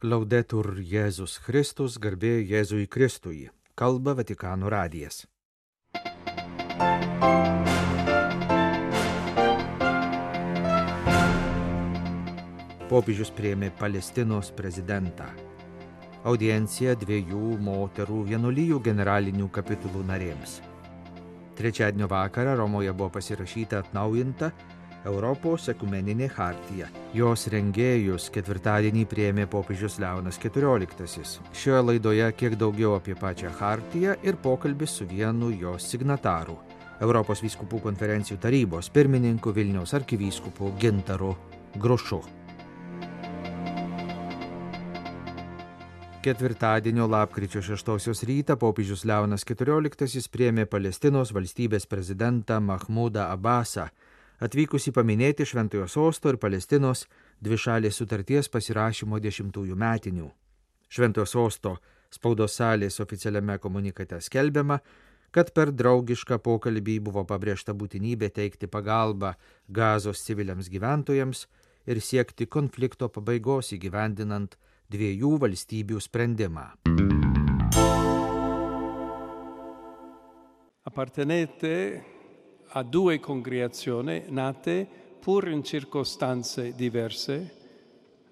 Laudetur Jėzus Kristus, garbė Jėzui Kristui. Kalba Vatikano radijas. Popiežius priėmė Palestinos prezidentą. Audiencija 2 moterų vienuolijų generalinių kapitulų narėms. Trečiadienio vakarą Romoje buvo pasirašyta atnaujinta Europos ekumeninė chartija. Jos rengėjus ketvirtadienį priėmė popiežius Leonas XIV. Šioje laidoje kiek daugiau apie pačią chartiją ir pokalbis su vienu jos signatarų, Europos vyskupų konferencijų tarybos pirmininku Vilniaus arkivyskupu Gintaru Grušu. Ketvirtadienio lapkričio 6 rytą popiežius Leonas XIV priėmė Palestinos valstybės prezidentą Mahmudą Abbasą, atvykusi paminėti Šventojo Sosto ir Palestinos dvišalės sutarties pasirašymo 10-ųjų metinių. Šventojo Sosto spaudos salės oficialiame komunikate skelbiama, kad per draugišką pokalbį buvo pabrėžta būtinybė teikti pagalbą Gazos civiliams gyventojams ir siekti konflikto pabaigos įgyvendinant 2 valstybių sprendimą. Appartenete a 2 congregazioni nate pur in circostanze diverse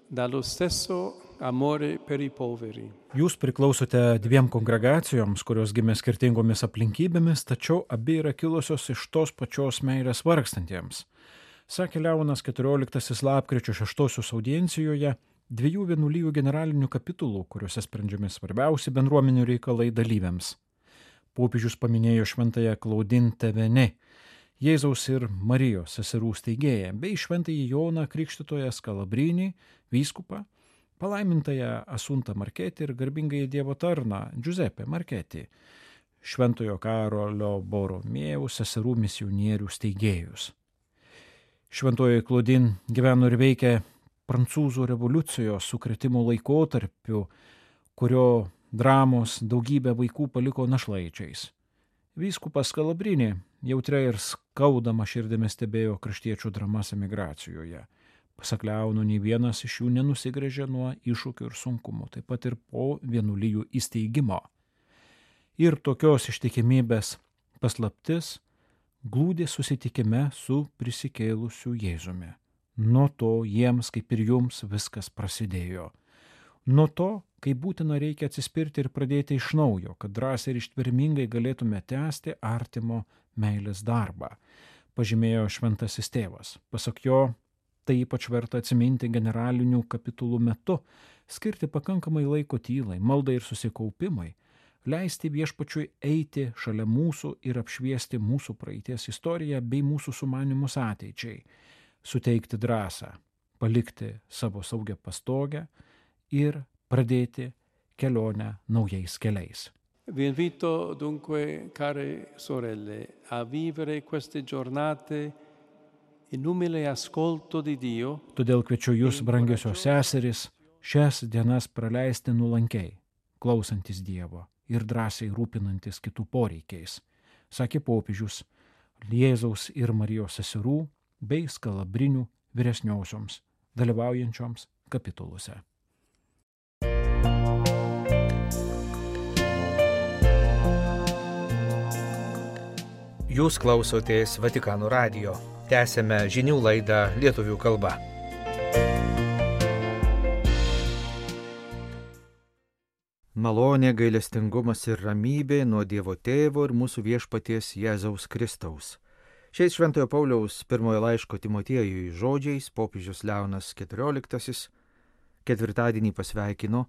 dallo stesso amore per i poveri. Jūs priklausote 2 kongregacijoms, kurios gimė skirtingomis aplinkybėmis, tačiau abi yra kilusios iš tos pačios meilės vargstantiems, sakė Leonas XIV lapkričio 6 audiencijoje 2 vienuolijų generalinių kapitulų, kuriuose sprendžiami svarbiausi bendruomenių reikalai dalyviams. Popiežius paminėjo šventąją Claudine Thévenet, Jėzaus ir Marijos seserų steigėją, bei šventąjį Joną Krikštytoją Skalabrinį, vyskupą, palaimintąją Asuntą Marketį ir garbingąjį Dievo tarną Giuseppe Marketį, šventojo Karolio Boromėjaus seserų misionierių steigėjus. Šventoji Claudine gyveno ir veikė Prancūzų revoliucijos sukrėtimo laikotarpiu, kurio dramos daugybę vaikų paliko našlaičiais. Vyskupas Skalabrinį jautria ir skaudama širdimi stebėjo kraštiečių dramas emigracijoje. Pasak Leono, nei vienas iš jų nenusigręžė nuo iššūkių ir sunkumų, taip pat ir po vienuolijų įsteigimo. Ir tokios ištikimybės paslaptis glūdi susitikime su prisikėlusiu Jėzumi. Nuo to jiems, kaip ir jums, viskas prasidėjo. Nuo to, kai būtina reikia atsispirti ir pradėti iš naujo, kad drąsiai ir ištvermingai galėtume tęsti artimo meilės darbą, pažymėjo šventasis tėvas. Pasak jo, tai ypač verta atsiminti generalinių kapitulų metu, skirti pakankamai laiko tylai, maldai ir susikaupimai, leisti viešpačiui eiti šalia mūsų ir apšviesti mūsų praeities istoriją bei mūsų sumanymus ateičiai, suteikti drąsą, palikti savo saugią pastogę ir pradėti kelionę naujais keliais. Vi invito dunque, care sorelle, a vivere queste giornate in umile ascolto di Dio. Todėl kviečiu jūs, brangiosios seserys, šias dienas praleisti nuolankiai, klausantis Dievo ir drąsiai rūpinantis kitų poreikiais, sakė popiežius Jėzaus ir Marijos seserų bei Skalabrinių vyresniosioms, dalyvaujančioms kapituluose. Jūs klausotės Vatikano radijo. Tęsiame žinių laidą lietuvių kalba. Malonė, gailestingumas ir ramybė nuo Dievo Tėvo ir mūsų viešpaties Jėzaus Kristaus. Šiais Šventojo Pauliaus pirmojo laiško Timotiejui žodžiais popiežius Leonas XIV ketvirtadienį pasveikino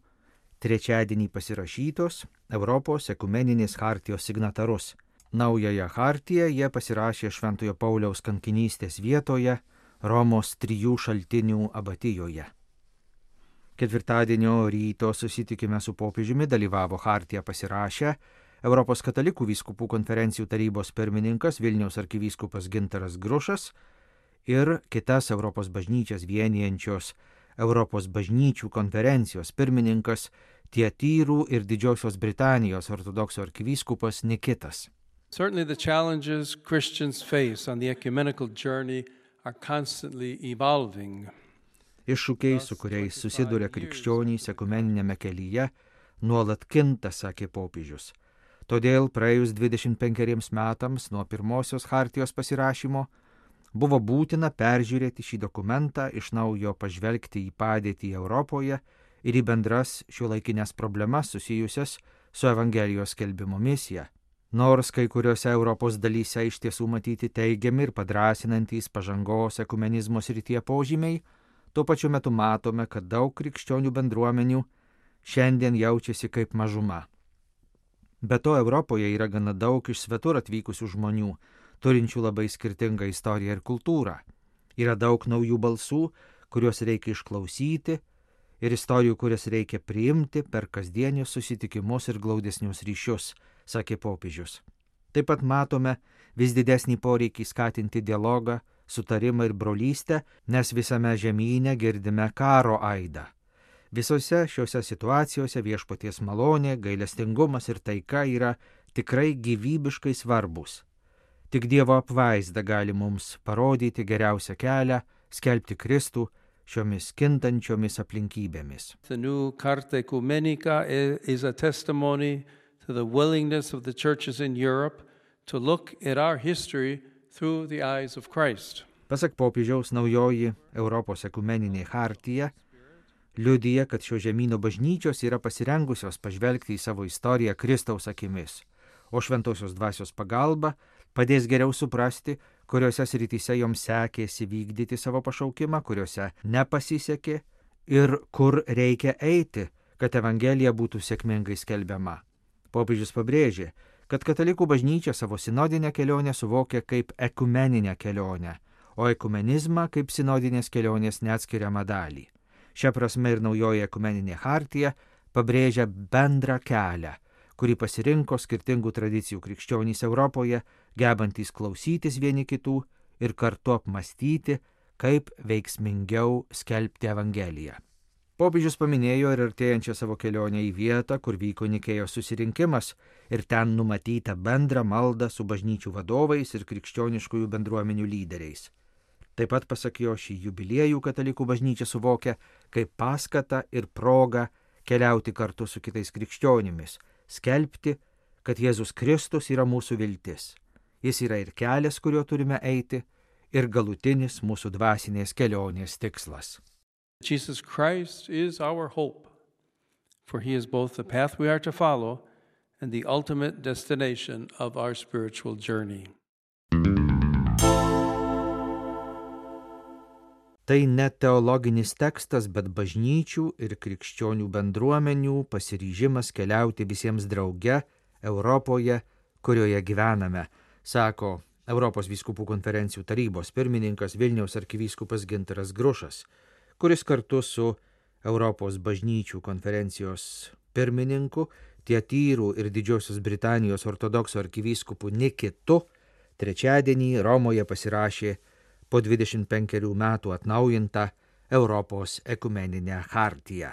trečiadienį pasirašytos Europos ekumeninės chartijos signatarus. Naująją chartiją jie pasirašė Šventojo Pauliaus kankinystės vietoje Romos 3 šaltinių abatijoje. Ketvirtadienio ryto susitikime su popiežiumi dalyvavo chartiją pasirašę Europos katalikų vyskupų konferencijų tarybos pirmininkas Vilniaus arkivyskupas Gintaras Grušas ir kitas Europos bažnyčias vienijančios Europos bažnyčių konferencijos pirmininkas Tietyrų ir Didžiosios Britanijos ortodoksų arkivyskupas Nikitas. Certainly the challenges Christians face on the ecumenical journey are constantly evolving. Iššūkiai, su kuriais susiduria krikščionys ekumeninėme kelyje, nuolat kinta, sakė popiežius. Todėl praėjus 25 metams nuo pirmosios chartijos pasirašymo buvo būtina peržiūrėti šį dokumentą, iš naujo pažvelgti į padėtį Europoje ir į bendras šiuolaikinės problemas susijusias su Evangelijos skelbimo misija. Nors kai kuriuose Europos dalyse iš tiesų matyti teigiami ir padrasinantys pažangos ekumenizmo srityje požymiai, tuo pačiu metu matome, kad daug krikščionių bendruomenių šiandien jaučiasi kaip mažuma. Be to, Europoje yra gana daug iš svetur atvykusių žmonių, turinčių labai skirtingą istoriją ir kultūrą. Yra daug naujų balsų, kuriuos reikia išklausyti, ir istorijų, kurias reikia priimti per kasdienius susitikimus ir glaudesnius ryšius, sakė popiežius. Taip pat matome vis didesnį poreikį skatinti dialogą, sutarimą ir brolystę, nes visame žemyne girdime karo aidą. Visose šiuose situacijose viešpaties malonė, gailestingumas ir taika yra tikrai gyvybiškai svarbus. Tik Dievo apvaizda gali mums parodyti geriausią kelią, skelbti Kristų šiomis kintančiomis aplinkybėmis. The new Carta Ecumenica is a testimony to the willingness of the churches in Europe to look at our history through the eyes of Christ. Pasak popiežiaus, naujoji Europos ekumeninė chartija liudija, kad šio žemyno bažnyčios yra pasirengusios pažvelgti į savo istoriją Kristaus akimis, o šventosios dvasios pagalba padės geriau suprasti, kuriuose srityse joms sekėsi vykdyti savo pašaukimą, kuriuose nepasisekė ir kur reikia eiti, kad Evangelija būtų sėkmingai skelbiama. Popiežius pabrėžė, kad katalikų bažnyčia savo sinodinę kelionę suvokia kaip ekumeninę kelionę, o ekumenizmą kaip sinodinės kelionės neatskiriamą dalį. Šia prasme ir naujoji ekumeninė chartija pabrėžia bendrą kelią, kurį pasirinko skirtingų tradicijų krikščionys Europoje, gebantys klausytis vieni kitų ir kartu apmastyti, kaip veiksmingiau skelbti Evangeliją. Popiežius paminėjo ir artėjančią savo kelionę į vietą, kur vyko Nikėjos susirinkimas ir ten numatytą bendrą maldą su bažnyčių vadovais ir krikščioniškųjų bendruomenių lyderiais. Taip pat, pasak jo, šį jubiliejų katalikų bažnyčia suvokia kaip paskatą ir progą keliauti kartu su kitais krikščionimis, skelbti, kad Jėzus Kristus yra mūsų viltis. Jis yra ir kelias, kuriuo turime eiti, ir galutinis mūsų dvasinės kelionės tikslas. Jesus Christ is our hope, for he is both the path we are to follow and the ultimate destination of our spiritual journey. Tai ne teologinis tekstas, bet bažnyčių ir krikščionių bendruomenių pasiryžimas keliauti visiems drauge Europoje, kurioje gyvename, sako Europos vyskupų konferencijų tarybos pirmininkas Vilniaus arkivyskupas Gintaras Grušas, kuris kartu su Europos bažnyčių konferencijos pirmininku, Tietyrų ir Didžiosios Britanijos ortodoksų arkivyskupu Nikitu trečiadienį Romoje pasirašė po 25 metų atnaujintą Europos ekumeninę chartiją.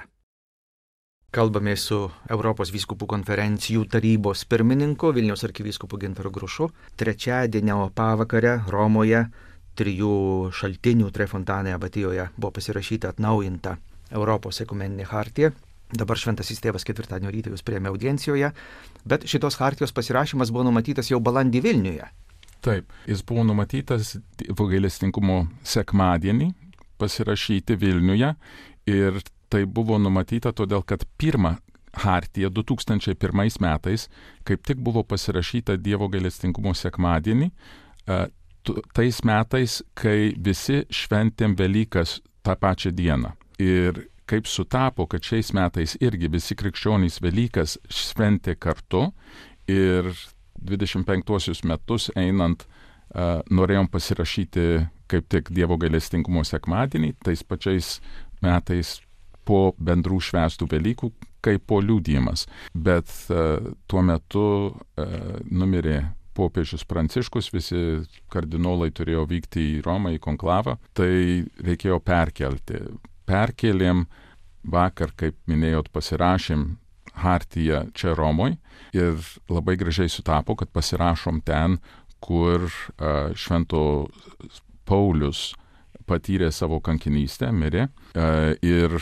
Kalbame su Europos vyskupų konferencijų tarybos pirmininku Vilniaus arkivyskupu Gintaru Grušu. Trečiadienio pavakare Romoje 3 šaltinių Trefontanė abatijoje buvo pasirašyta atnaujinta Europos ekumeninė chartija. Dabar šventasis tėvas ketvirtadienio rytą jūs priėmė audiencijoje, bet šitos chartijos pasirašymas buvo numatytas jau balandį Vilniuje. Taip, jis buvo numatytas gailestingumo sekmadienį pasirašyti Vilniuje ir tai buvo numatyta todėl, kad pirmą chartiją 2001 metais kaip tik buvo pasirašyta Dievo gailestingumo sekmadienį, tais metais, kai visi šventėm Velykas tą pačią dieną. Ir kaip sutapo, kad šiais metais irgi visi krikščionys Velykas šventė kartu ir 25 metus einant norėjom pasirašyti kaip tik Dievo gailestingumo sekmadienį, tais pačiais metais po bendrų švęstų Velykų, kaip po liudijimas. Bet tuo metu numirė popiežius Pranciškus, visi kardinolai turėjo vykti į Romą, į konklavą, tai reikėjo perkelti. Perkelėm vakar, kaip minėjot, pasirašėm hartiją čia Romoj ir labai gražiai sutapo, kad pasirašom ten, kur Švento Paulius patyrė savo kankinystę, mirė ir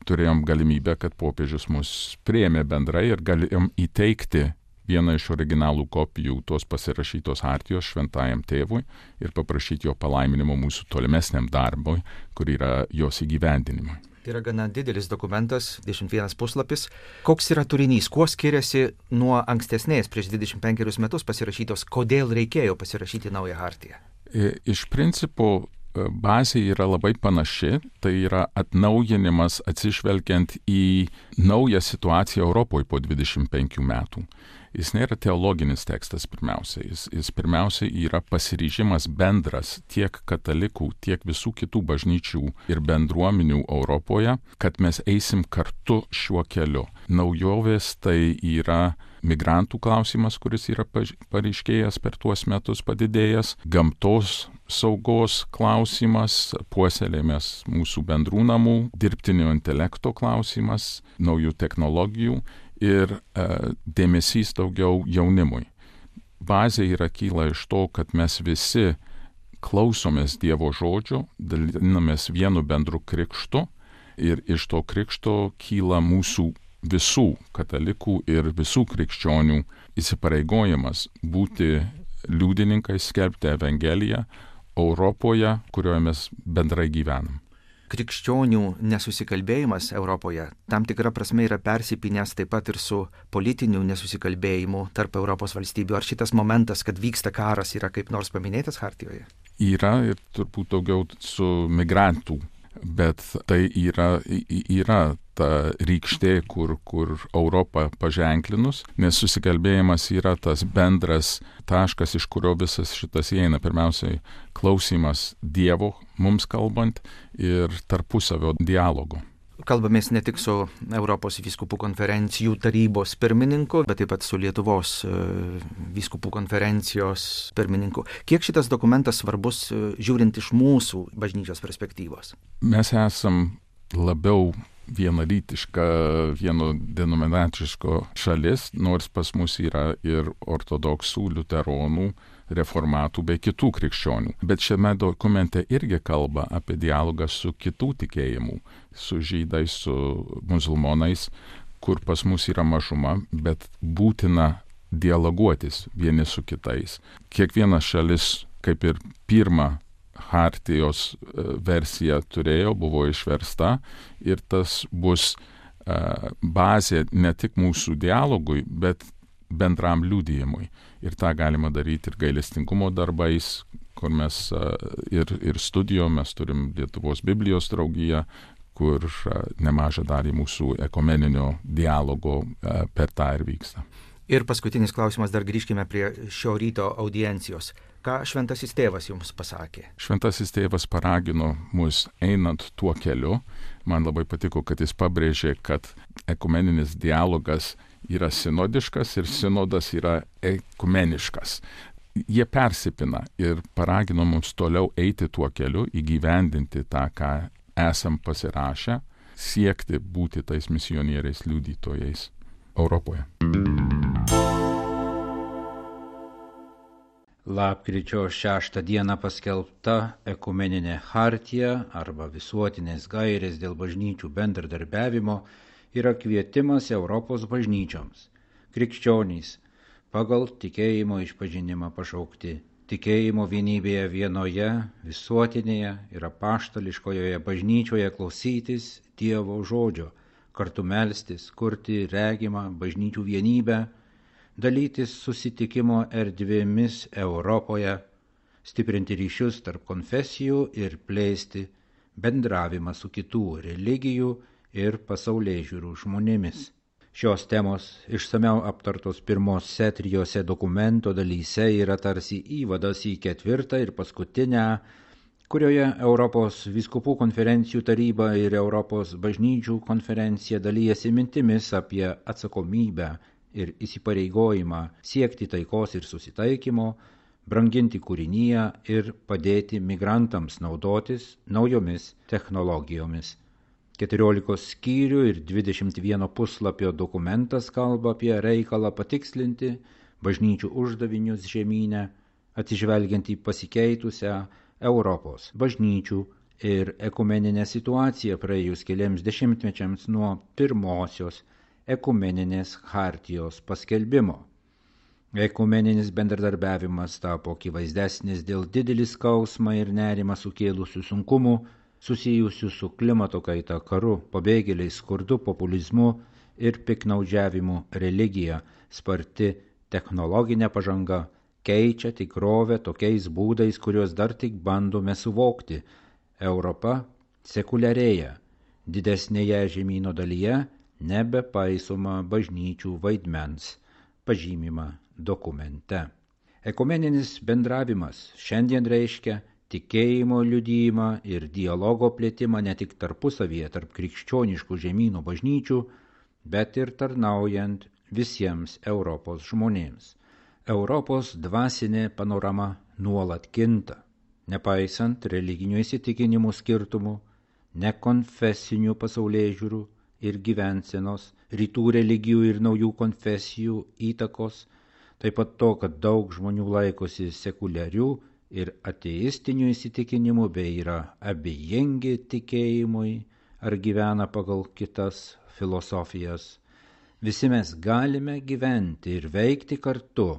turėjom galimybę, kad popiežius mus priėmė bendrai ir galėjom įteikti vieną iš originalų kopijų tos pasirašytos hartijos šventajam tėvui ir paprašyti jo palaiminimo mūsų tolimesniam darbui, kur yra jos įgyvendinimui. Tai yra gana didelis dokumentas, 21 puslapis. Koks yra turinys, kuo skiriasi nuo ankstesnės prieš 25 metus pasirašytos, kodėl reikėjo pasirašyti naują hartiją? Iš principo bazė yra labai panaši, tai yra atnaujinimas atsižvelgiant į naują situaciją Europoje po 25 metų. Jis nėra teologinis tekstas pirmiausia, jis pirmiausia yra pasiryžimas bendras tiek katalikų, tiek visų kitų bažnyčių ir bendruomenių Europoje, kad mes eisim kartu šiuo keliu. Naujovės tai yra migrantų klausimas, kuris yra pareiškėjęs per tuos metus padidėjęs, gamtos saugos klausimas, puoselėjimas mūsų bendrų namų, dirbtinio intelekto klausimas, naujų technologijų ir dėmesys daugiau jaunimui. Bazė yra kyla iš to, kad mes visi klausomės Dievo žodžio, dalinamės vienu bendru krikštu ir iš to krikšto kyla mūsų visų katalikų ir visų krikščionių įsipareigojimas būti liudininkais, skelbti Evangeliją Europoje, kurioje mes bendrai gyvenam. Krikščionių nesusikalbėjimas Europoje tam tikra prasme yra persipynęs taip pat ir su politiniu nesusikalbėjimu tarp Europos valstybių. Ar šitas momentas, kad vyksta karas, yra kaip nors paminėtas hartijoje? Yra ir turbūt daugiau su migrantų, bet tai yra ta rykštė, kur Europą paženklinus, nes susikalbėjimas yra tas bendras taškas, iš kurio visas šitas įeina. Pirmiausiai klausimas Dievo mums kalbant ir tarpusavio dialogo. Kalbamės ne tik su Europos vyskupų konferencijų tarybos pirmininku, bet taip pat su Lietuvos vyskupų konferencijos pirmininku. Kiek šitas dokumentas svarbus žiūrint iš mūsų bažnyčios perspektyvos? Mes esam labiau vienalytiška, vieno denominaciško šalis, nors pas mus yra ir ortodoksų, liuteronų, reformatų bei kitų krikščionių. Bet šiame dokumente irgi kalba apie dialogą su kitų tikėjimų, su žydais, su musulmonais, kur pas mus yra mažuma, bet būtina dialoguotis vieni su kitais. Kiekviena šalis, kaip ir pirmą hartijos versija turėjo, buvo išversta ir tas bus bazė ne tik mūsų dialogui, bet bendram liudijimui. Ir tą galima daryti ir gailestingumo darbais, kur mes ir studijom, mes turim Lietuvos Biblijos draugiją, kur nemažą dalį mūsų ekumeninio dialogo per tą ir vyksta. Ir paskutinis klausimas, dar grįžkime prie šio ryto audiencijos. Ką Šventasis Tėvas jums pasakė? Šventasis Tėvas paragino mus einant tuo keliu. Man labai patiko, kad jis pabrėžė, kad ekumeninis dialogas yra sinodiškas ir sinodas yra ekumeniškas. Jie persipina ir paragino mums toliau eiti tuo keliu, įgyvendinti tą, ką esam pasirašę, siekti būti tais misionieriais liudytojais Europoje. Lapkričio 6 dieną paskelbta ekumeninė hartija arba visuotinės gairės dėl bažnyčių bendradarbiavimo yra kvietimas Europos bažnyčioms. Krikščionys pagal tikėjimo išpažinimą pašaukti tikėjimo vienybėje vienoje, visuotinėje ir apaštališkojoje bažnyčioje klausytis Dievo žodžio, kartu melstis, kurti regimą bažnyčių vienybę, dalytis susitikimo erdvėmis Europoje, stiprinti ryšius tarp konfesijų ir plėsti bendravimą su kitų religijų ir pasaulėžiūrų žmonėmis. Šios temos išsamiau aptartos pirmose 3 dokumento dalyse yra tarsi įvadas į 4 ir paskutinę, kurioje Europos vyskupų konferencijų taryba ir Europos bažnyčių konferencija dalyjasi mintimis apie atsakomybę ir įsipareigojimą siekti taikos ir susitaikymo, branginti kūriniją ir padėti migrantams naudotis naujomis technologijomis. 14 skyrių ir 21 puslapio dokumentas kalba apie reikalą patikslinti bažnyčių uždavinius žemyne, atsižvelgiant į pasikeitusią Europos bažnyčių ir ekumeninę situaciją praėjus keliams dešimtmečiams nuo pirmosios ekumeninės hartijos paskelbimo. Ekumeninis bendradarbiavimas tapo akivaizdesnis dėl didelį skausmą ir nerimą sukėlusių sunkumų susijusių su klimato kaita, karu, pabėgėliais, skurdu, populizmu ir piknaudžiavimu religija. Sparti technologinė pažanga keičia tikrovę tokiais būdais, kuriuos dar tik bandome suvokti. Europa sekuliarėja, didesnėje žemyno dalyje nebepaisoma bažnyčių vaidmens, pažymima dokumente. Ekumeninis bendravimas šiandien reiškia tikėjimo liudijimą ir dialogo plėtimą ne tik tarpusavyje tarp krikščioniškų žemynų bažnyčių, bet ir tarnaujant visiems Europos žmonėms. Europos dvasinė panorama nuolat kinta, nepaisant religinių įsitikinimų skirtumų, nekonfesinių pasaulėžiūrų ir gyvensenos, rytų religijų ir naujų konfesijų įtakos, taip pat to, kad daug žmonių laikosi sekuliarių ir ateistinių įsitikinimų bei yra abejingi tikėjimui ar gyvena pagal kitas filosofijas. Visi mes galime gyventi ir veikti kartu,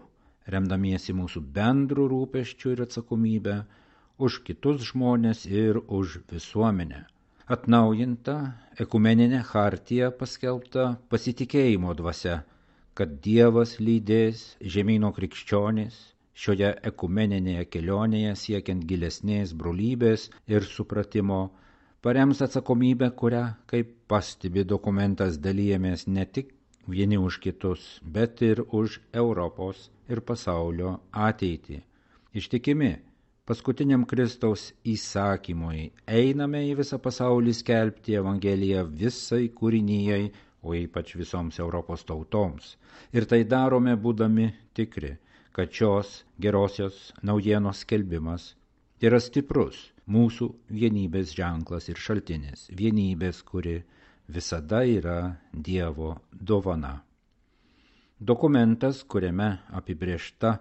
remdamiesi mūsų bendrų rūpesčių ir atsakomybę už kitus žmonės ir už visuomenę. Atnaujinta ekumeninė hartija paskelbta pasitikėjimo dvasia, kad Dievas lydės žemyno krikščionys šioje ekumeninėje kelionėje siekiant gilesnės brolybės ir supratimo, parems atsakomybę, kurią, kaip pastebi dokumentas, dalijamės ne tik vieni už kitus, bet ir už Europos ir pasaulio ateitį. Ištikimi paskutiniam Kristaus įsakymui einame į visą pasaulį skelbti Evangeliją visai kūrinijai, o ypač visoms Europos tautoms. Ir tai darome būdami tikri, kad šios gerosios naujienos skelbimas yra stiprus mūsų vienybės ženklas ir šaltinis, vienybės, kuri visada yra Dievo dovana. Dokumentas, kuriame apibrėžta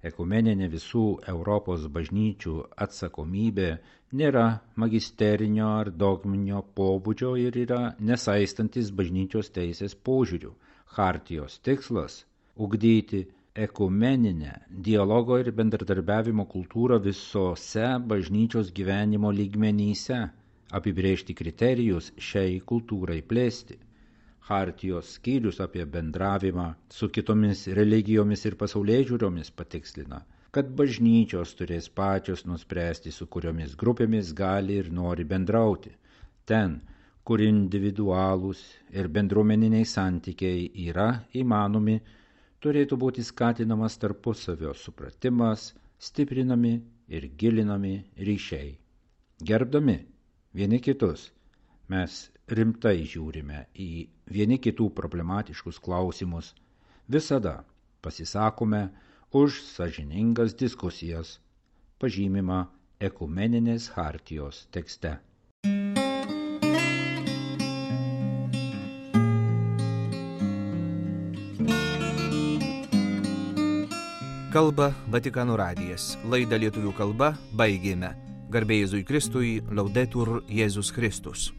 ekumeninė visų Europos bažnyčių atsakomybė, nėra magisterinio ar dogminio pobūdžio ir yra nesaistantis bažnyčios teisės požiūrių. Hartijos tikslas – ugdyti ekumeninę dialogo ir bendradarbiavimo kultūrą visose bažnyčios gyvenimo lygmenyse, apibrėžti kriterijus šiai kultūrai plėsti. Hartijos skyrius apie bendravimą su kitomis religijomis ir pasaulėžiūromis patikslina, kad bažnyčios turės pačios nuspręsti, su kuriomis grupėmis gali ir nori bendrauti. Ten, kur individualūs ir bendruomeniniai santykiai yra įmanomi, turėtų būti skatinamas tarpusavio supratimas, stiprinami ir gilinami ryšiai. Gerbdami vieni kitus, mes rimtai žiūrime į vieni kitų problematiškus klausimus, visada pasisakome už sąžiningas diskusijas, pažymima ekumeninės hartijos tekste. Kalba Vatikano radijas. Laidą lietuvių kalba baigėme. Garbė Jėzui Kristui, Laudetur Jėzus Kristus.